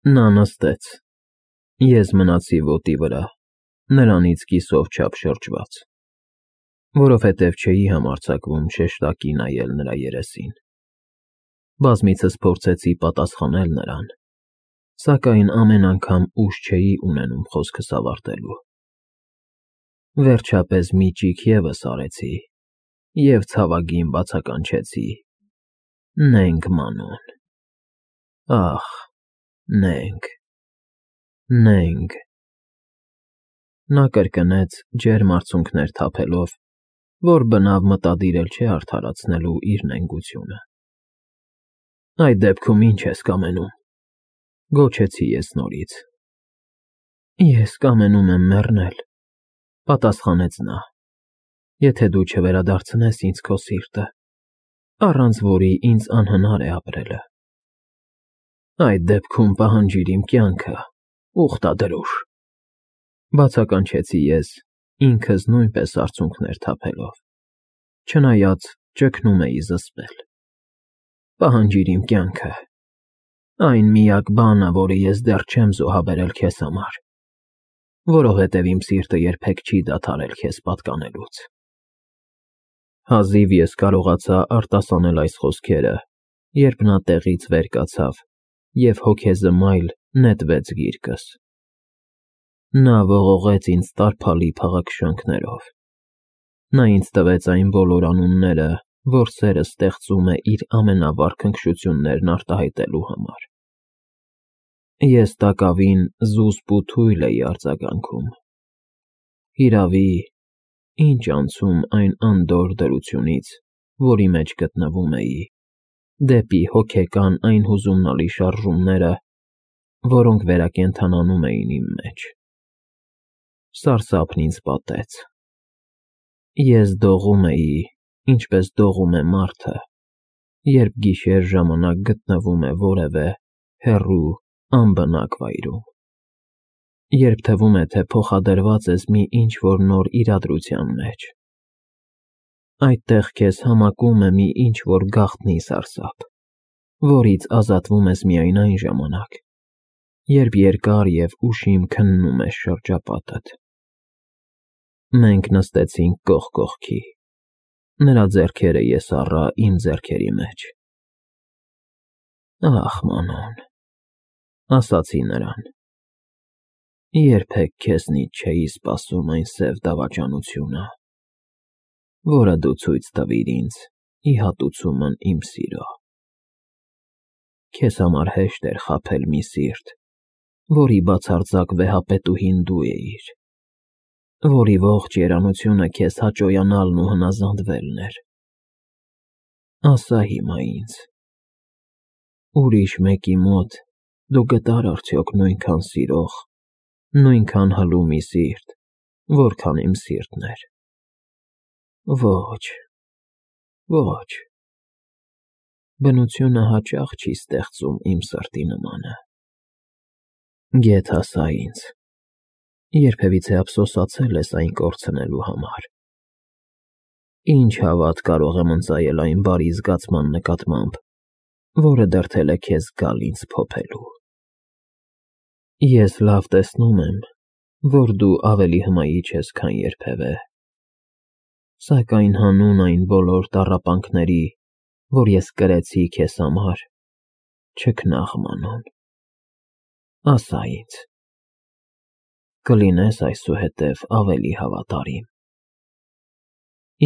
Նա նստեց, ես մնացի ոտի վրա, նրանից կիսով չափ շրջված, որովհետև չէի համարձակվում շեշտակի նայել նրա երեսին։ Բազմիցս փորձեցի պատասխանել նրան, սակայն ամեն անգամ ուժ չէի ունենում խոսքս ավարտելու։ Վերջապես մի ճիգ ևս արեցի և ցավագին բացականչեցի. «Նենք, Մանոն, ախ, նենք, նենք»։ Նա կրկնեց ջերմ արցունքներ թափելով, որ բնավ մտադիր էլ չէ արդարացնելու իր նենգությունը։ «Այդ դեպքում ի՞նչ ես կամենում», գոչեցի ես նորից։ «Ես կամենում եմ մեռնել», պատասխանեց նա, «եթե դու չվերադարձնես ինձ քո սիրտը, առանց որի ինձ անհնար է ապրելը»։ «Այդ դեպքում պահանջիր իմ կյանքը, ուխտադրուժ», բացականչեցի ես, ինքս նույնպես արցունքներ թափելով, չնայած ճգնում էի զսպել։ «Պահանջիր իմ կյանքը, այն միակ բանը, որը ես դեռ չեմ զոհաբերել քեզ համար, որովհետև իմ սիրտը երբեք չի դադարել քեզ պատկանելուց»։ Հազիվ ես կարողացա արտասանել այս խոսքերը, երբ նա տեղից վեր կացավ և հոգեզմայլ նետվեց գիրկս։ Նա ողողեց ինձ տարփալի փաղաքշանքներով։ Նա ինձ տվեց այն բոլոր անունները, որ սերը ստեղծում է իր ամենավառ քնքշություններն արտահայտելու համար։ Ես տակավին զուսպ ու թույլ էի արձագանքում։ Հիրավի, ինչ անցում այն անդորր դրությունից, որի մեջ գտնվում էի, դեպի հոգեկան այն հուզումնալի շարժումները, որոնք վերակենդանանում էին իմ մեջ։ Սարսափն ինձ պատեց։ Ես դողում էի, ինչպես դողում է մարդը, երբ գիշեր ժամանակ գտնվում է որևէ հեռու, անբնակ վայրում, երբ թվում է, թե փոխադրված ես մի ինչ-որ նոր իրադրության մեջ։ Այդտեղ քեզ համակում է մի ինչ-որ գաղտնի սարսափ, որից ազատվում ես միայն այն ժամանակ, երբ երկար և ուշիմ քննում ես շրջապատդ։ Մենք նստեցինք կողք կողքի, նրա ձեռքերը ես առա իմ ձեռքերի մեջ։ «Ախ, Մանոն», ասացի նրան, «երբեք քեզնից չէի սպասում այն սև դավաճանությունը, որը դու ցույց տվիր ինձ ի հատուցումն իմ սիրո։ Քեզ համար հեշտ էր խաբել մի սիրտ, որի բացարձակ վեհապետուհին դու էիր, որի ողջ երանությունը քեզ հաճոյանալն ու հնազանդվելն էր։ Ասա հիմա ինձ, ուրիշ մեկի մոտ դու գտա՞ր արդյոք նույնքան սիրող, նույնքան հլու մի սիրտ, որքան իմ սիրտն էր։ Ոչ, ոչ, բնությունը հաճախ չի ստեղծում իմ սրտի նմանը։ Գեթ ասա ինձ, երբևիցե ափսոսացել ես այն կորցնելու համար։ Ինչ հավատ կարող եմ ընծայել այն բարի զգացման նկատմամբ, որը դրդել է քեզ գալ ինձ փոփելու։ Ես լավ տեսնում եմ, որ դու ավելի հմայիչ ես, քան երբևէ, սակայն հանուն այն բոլոր տառապանքների, որ ես կրեցի քեզ համար, չքնաղ, Մանոն, ասա ինձ, կլինես այսուհետև ավելի հավատարիմ։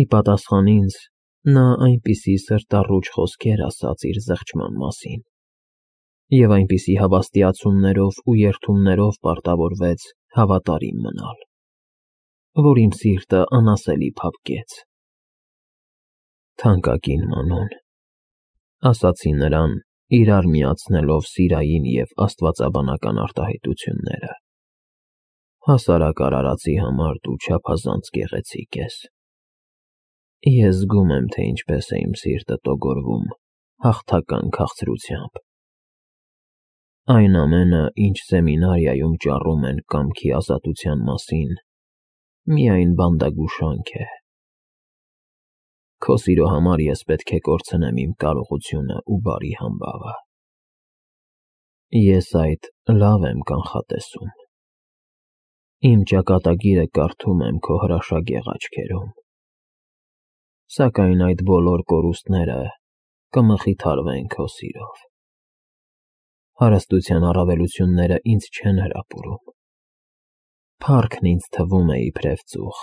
Ի պատասխան ինձ, նա այնպիսի սրտառուչ խոսքեր ասաց իր զղջման մասին, և այնպիսի հավաստիացումներով ու երդումներով պարտավորվեց հավատարիմ մնալ, որ իմ սիրտը անասելի փափկեց։ Թանկագին Մանոն, ասացի նրան, իրար միացնելով սիրային և աստվածաբանական արտահայտությունները, հասարակ արարածի համար դու չափազանց գեղեցիկ ես։ Ես զգում եմ, թե ինչպես է իմ սիրտը տոգորվում հաղթական քաղցրությամբ։ Այն ամենը, ինչ սեմինարիայում ճառում են կամքի ազատության մասին, միայն բանդագուշանք է։ Քո սիրո համար ես պետք է կորցնեմ իմ կարողությունը ու բարի համբավը։ Ես այդ լավ եմ կանխատեսում։ Իմ ճակատագիրը կարդում եմ քո հրաշագեղ աչքերում։ Սակայն այդ բոլոր կորուստները կմխիթարվեն քո սիրով։ Հարստության առավելությունները ինձ չեն հրապուրում։ Փառքն ինձ թվում է իբրև ծուխ,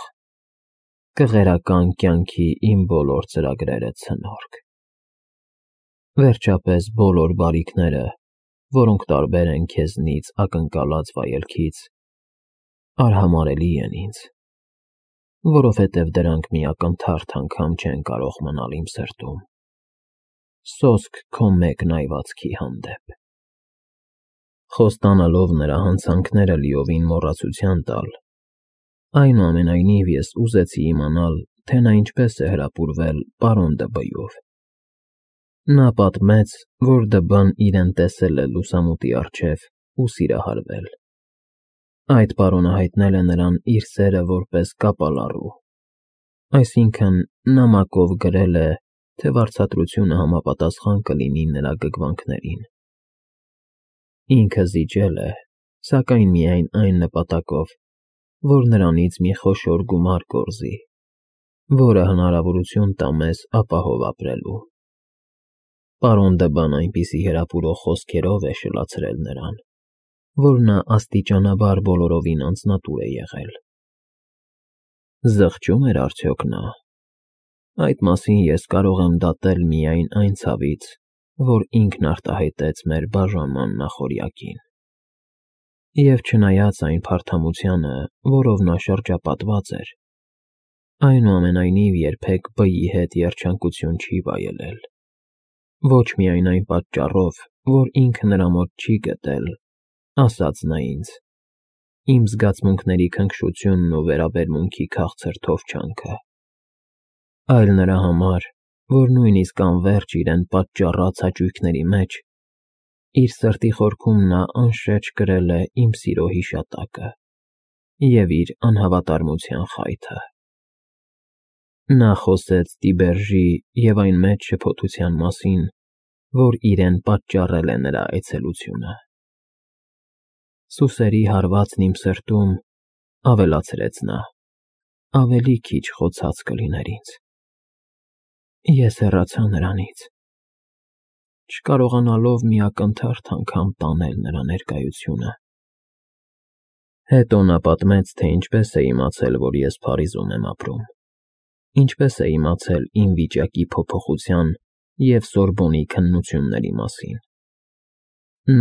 կղերական կյանքի իմ բոլոր ծրագրերը ցնորք։ Վերջապես բոլոր բարիքները, որոնք տարբեր են քեզնից ակնկալած վայելքից, արհամարհելի են ինձ, որովհետև դրանք մի ակնթարթ անգամ չեն կարող մնալ իմ սրտում, սոսկ քո մեկ նայվածքի հանդեպ։ Խոստանալով նրա հանցանքները լիովին մոռացության տալ, այնուամենայնիվ ես ուզեցի իմանալ, թե նա ինչպես է հրապուրվել պարոն Դ'Բյով։ Նա պատմեց, որ Դ'Բն իրեն տեսել է լուսամուտի առջև ու սիրահարվել։ Այդ պարոնը հայտնել է նրան իր սերը որպես կապալառու, այսինքն նամակով գրել է, թե վարձատրությունը համապատասխան կլինի նրա գգվանքներին։ Ինքը զիջել է, սակայն միայն այն նպատակով, որ նրանից մի խոշոր գումար կորզի, որը հնարավորություն տա մեզ ապահով ապրելու։ Պարոն Դ'Բն այնպիսի հրապուրող խոսքերով է շլացրել նրան, որ նա աստիճանաբար բոլորովին անձնատուր է եղել։ Զղջում էր արդյոք նա։ Այդ մասին ես կարող եմ դատել միայն այն ցավից, որ ինքն արտահայտեց մեր բաժանման նախօրյակին։ Եվ չնայած այն փարթամությանը, որով նա շրջապատված էր, այնուամենայնիվ երբեք Բ-ի հետ երջանկություն չի վայելել։ Ոչ միայն այն պատճառով, որ ինքը նրա մոտ չի գտել, ասաց նա ինձ, իմ զգացմունքների քնքշությունն ու վերաբերմունքի քաղցր թովչանքը, այլ նրա համար, որ նույնիսկ անվերջ իրեն պատճառած հաճույքների մեջ, իր սրտի խորքում նա անշեջ կրել է իմ սիրո հիշատակը և իր անհավատարմության խայթը։ Նա խոսեց Տիբերժի և այն մեծ շփոթության մասին, որ իրեն պատճառել է նրա այցելությունը։ Սուսերի հարվածն իմ սրտում, ավելացրեց նա, ավելի քիչ խոցած կլիներ ինձ։ Ես հեռացա նրանից, չկարողանալով մի ակնթարթ անգամ տանել նրա ներկայությունը։ Հետո նա պատմեց, թե ինչպես է իմացել, որ ես Փարիզում եմ ապրում, ինչպես է իմացել իմ վիճակի փոփոխության և Սորբոնի քննությունների մասին։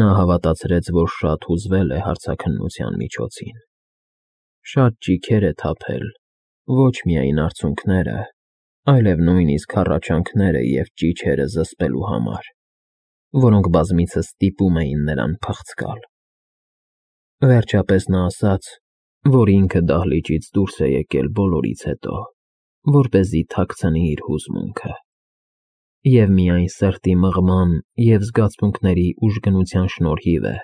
Նա հավատացրեց, որ շատ հուզվել է հարցաքննության միջոցին։ Շատ ճիգեր է թափել, ոչ միայն արցունքները, այլև նույնիսկ հառաչանքները և ճիչերը զսպելու համար, որոնք բազմիցս ստիպում էին նրան փղցկալ։ Վերջապես նա ասաց, որ ինքը դահլիճից դուրս է եկել բոլորից հետո, որպեսզի թաքցնի իր հուզմունքը, և միայն սրտի մղման և զգացմունքների ուժգնության շնորհիվ է,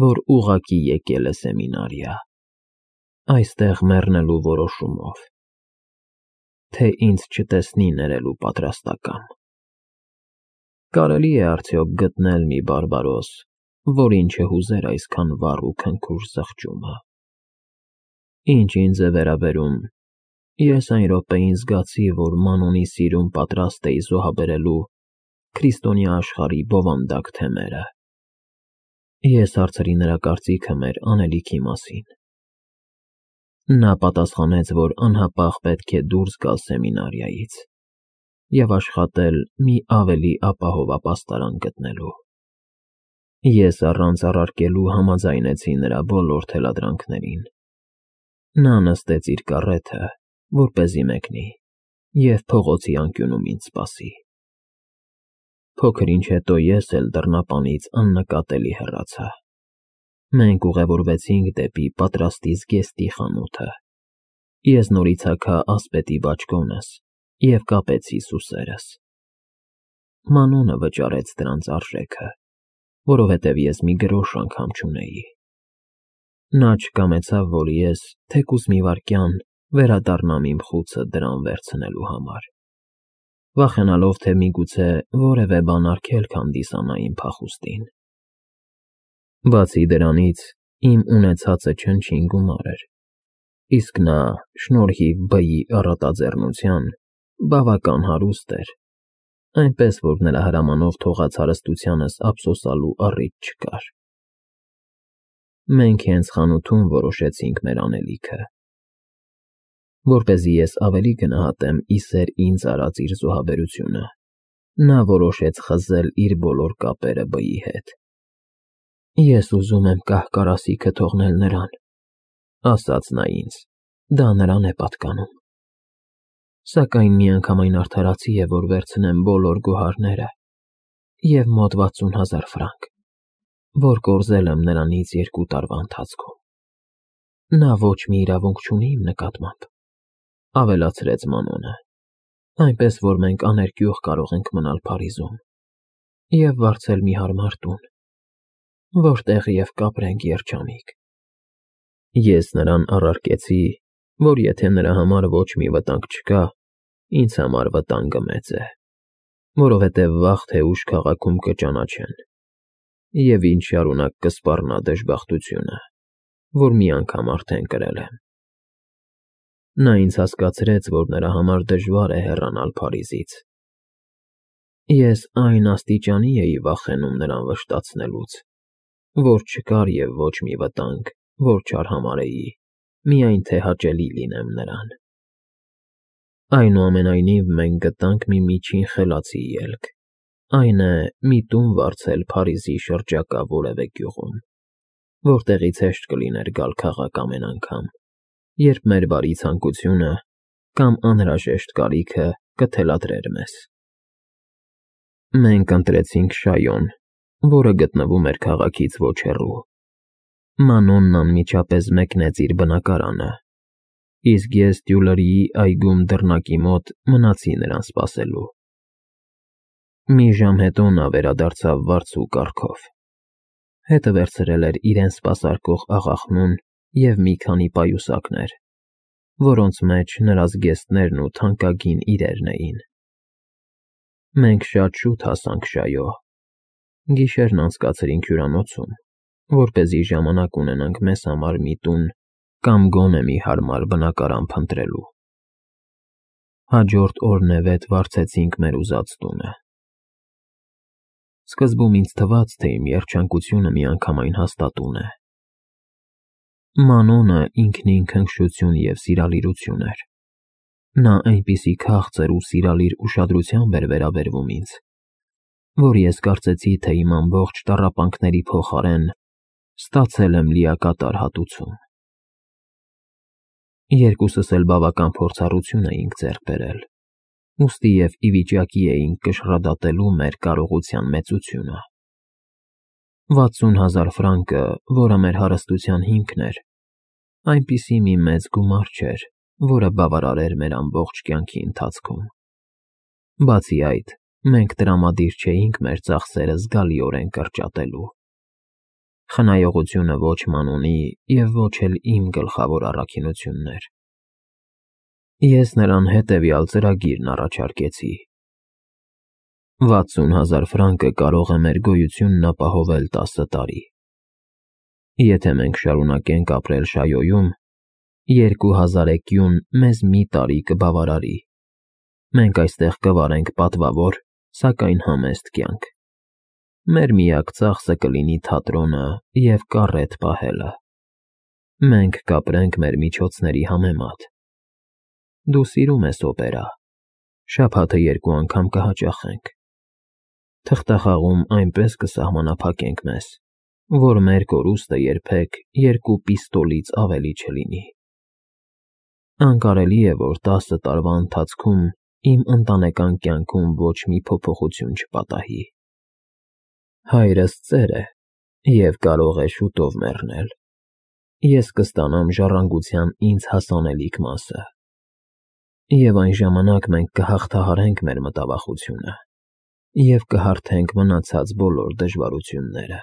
որ ուղղակի եկել է սեմինարիա, այստեղ մեռնելու որոշումով, թե ինձ չտեսնի ներելու պատրաստակամ։ Կարելի է արդյոք գտնել մի բարբարոս, որին չհուզեր այսքան վառ ու քնքուշ զղջումը։ Ինչ ինձ է վերաբերում, ես այն րոպեին զգացի, որ Մանոնի սիրուն պատրաստ էի զոհաբերելու քրիստոնյա աշխարհի բովանդակ թեմերը։ Ես հարցրի նրա կարծիքը մեր անելիքի մասին։ Նա պատասխանեց, որ անհապաղ պետք է դուրս գալ սեմինարիայից և աշխատել մի ավելի ապահով ապաստարան գտնելու։ Ես առանց առարկելու համաձայնեցի նրա բոլոր թելադրանքներին։ Նա նստեց իր կառեթը, որպեսզի մեկնի, և փողոցի անկյունում ինձ սպասի։ Փոքր ինչ հետո ես էլ դռնապանից աննկատելի հեռացա։ Մենք ուղևորվեցինք դեպի պատրաստի զգեստի խանութը։ Ես նորից հագա ասպետի բաճկոնս և կապեցի սուսերս։ Մանոնը վճարեց դրանց արժեքը, որովհետև ես մի գրոշ անգամ չունեի։ Նա չկամեցավ, որ ես, թեկուզ մի վայրկյան, վերադառնամ իմ խուցը դրան վերցնելու համար, վախենալով, թե միգուցե որևէ բան արգելք հանդիսանա իմ փախուստին։ Բացի դրանից, իմ ունեցածը չնչին գումար էր, իսկ նա, շնորհիվ բայի առատաձեռնության, բավական հարուստ էր, այնպես որ նրա հրամանով թողած հարստությանս ափսոսալու առիթ չկար։ Մենք հենց խանութում որոշեցինք մեր անելիքը։ Որպեսզի ես ավելի գնահատեմ իսեր ինձ արած իր զոհաբերությունը, նա որոշեց խզել իր բոլոր կապերը բայի հետ։ Ես ուզում եմ կահ-կարասիքը թողնել նրան, ասաց նա ինձ, դա նրան է պատկանում։ Սակայն միանգամայն արդարացի է, որ վերցնեմ բոլոր գոհարները և մոտ 60,000 ֆրանկ, որ կորզել եմ նրանից 2 տարվա ընթացքում։ Նա ոչ մի իրավունք չունի իմ նկատմամբ, ավելացրեց Մանոնը, այնպես որ մենք աներկյուղ կարող ենք մնալ Փարիզում և վարձել մի հարմար տուն, որտեղ և կապրենք երջանիկ։ Ես նրան առարկեցի, որ եթե նրա համար ոչ մի վտանգ չկա, ինձ համար վտանգը մեծ է, որովհետև վաղ թե ուշ քաղաքում կճանաչեն, և ինձ շարունակ կսպառնա դժբախտությունը, որ մի անգամ արդեն կրել եմ։ Նա ինձ հասկացրեց, որ նրա համար դժվար է հեռանալ Փարիզից։ Ես այն աստիճանի էի վախենում նրան վշտացնելուց, որ չկար և ոչ մի վտանգ, որ չարհամարհեի, միայն թե հաճելի լինեմ նրան։ Այնուամենայնիվ մենք գտանք մի միջին խելացի ելք, այն է մի տուն վարձել Փարիզի շրջակա որևէ գյուղում, որտեղից հեշտ կլիներ գալ քաղաք ամեն անգամ, երբ մեր բարի ցանկությունը կամ անհրաժեշտ կարիքը կթելադրեր մեզ։ Մենք ընտրեցինք Շայոն, որը գտնվում էր քաղաքից ոչ հեռու։ Մանոնն անմիջապես մեկնեց իր բնակարանը, իսկ ես Տյուլերիի այգում դռնակի մոտ մնացի նրան սպասելու։ Մի ժամ հետո նա վերադարձավ վարձու կառքով։ Հետը վերցրել էր իրեն սպասարկող աղախնուն և մի քանի պայուսակներ, որոնց մեջ նրա զգեստներն ու թանկագին իրերն էին։ Մենք շատ շուտ հասանք Շայո։ Գիշերն անցկացրինք հյուրանոցում, որպեսզի ժամանակ ունենանք մեզ համար մի տուն կամ գոնե մի հարմար բնակարան փնտրելու։ Հաջորդ օրն վարձեցինք մեր ուզած տունը։ Սկզբում ինձ թվաց, թե իմ երջանկությունը միանգամայն հաստատուն է։ Մանոնը ինքնին քնքշություն և սիրալիրություն էր։ Նա այնպիսի քաղցր ու սիրալիր ուշադրությամբ էր վերաբերվում ինձ, որ ես կարծեցի, թե իմ ամբողջ տառապանքների փոխարեն ստացել եմ լիակատար հատուցում։ Երկուսս էլ բավական փորձառություն էինք ձեռք բերել, ուստի և ի վիճակի էինք կշռադատելու մեր կարողության մեծությունը։ 60,000 ֆրանկը, որը մեր հարստության հիմքն էր, այնպիսի մի մեծ գումար չէր, որը բավարարեր մեր ամբողջ կյանքի ընթացքում։ Բացի այդ, մենք տրամադիր չէինք մեր ծախսերը զգալիորեն կրճատելու։ Խնայողությունը ոչ Մանոնի և ոչ էլ իմ գլխավոր առաքինությունն էր։ Ես նրան հետևյալ ծրագիրն առաջարկեցի. 60,000 ֆրանկը կարող է մեր գոյությունն ապահովել 10 տարի։ Եթե մենք շարունակենք ապրել Շայոյում, 2000 էկյուն մեզ մի տարի կբավարարի։ Մենք այստեղ կվարենք պատվավոր, սակայն համեստ կյանք։ Մեր միակ ծախսը կլինի թատրոնը և կառետ պահելը։ Մենք կապրենք մեր միջոցների համեմատ։ Դու սիրում ես օպերա, շաբաթը 2 անգամ կհաճախենք։ Թղթախաղում այնպես կսահմանափակենք մեզ, որ մեր կորուստը երբեք 2 պիստոլից ավելի չլինի։ Անկարելի է, որ 10 տարվա ընթացքում իմ ընտանեկան կյանքում ոչ մի փոփոխություն չպատահի։ Հայրս ծեր է և կարող է շուտով մեռնել։ Ես կստանամ ժառանգության ինձ հասանելիք մասը։ Եվ այն ժամանակ մենք կհաղթահարենք մեր մտավախությունը և կհարթենք մնացած բոլոր դժվարությունները։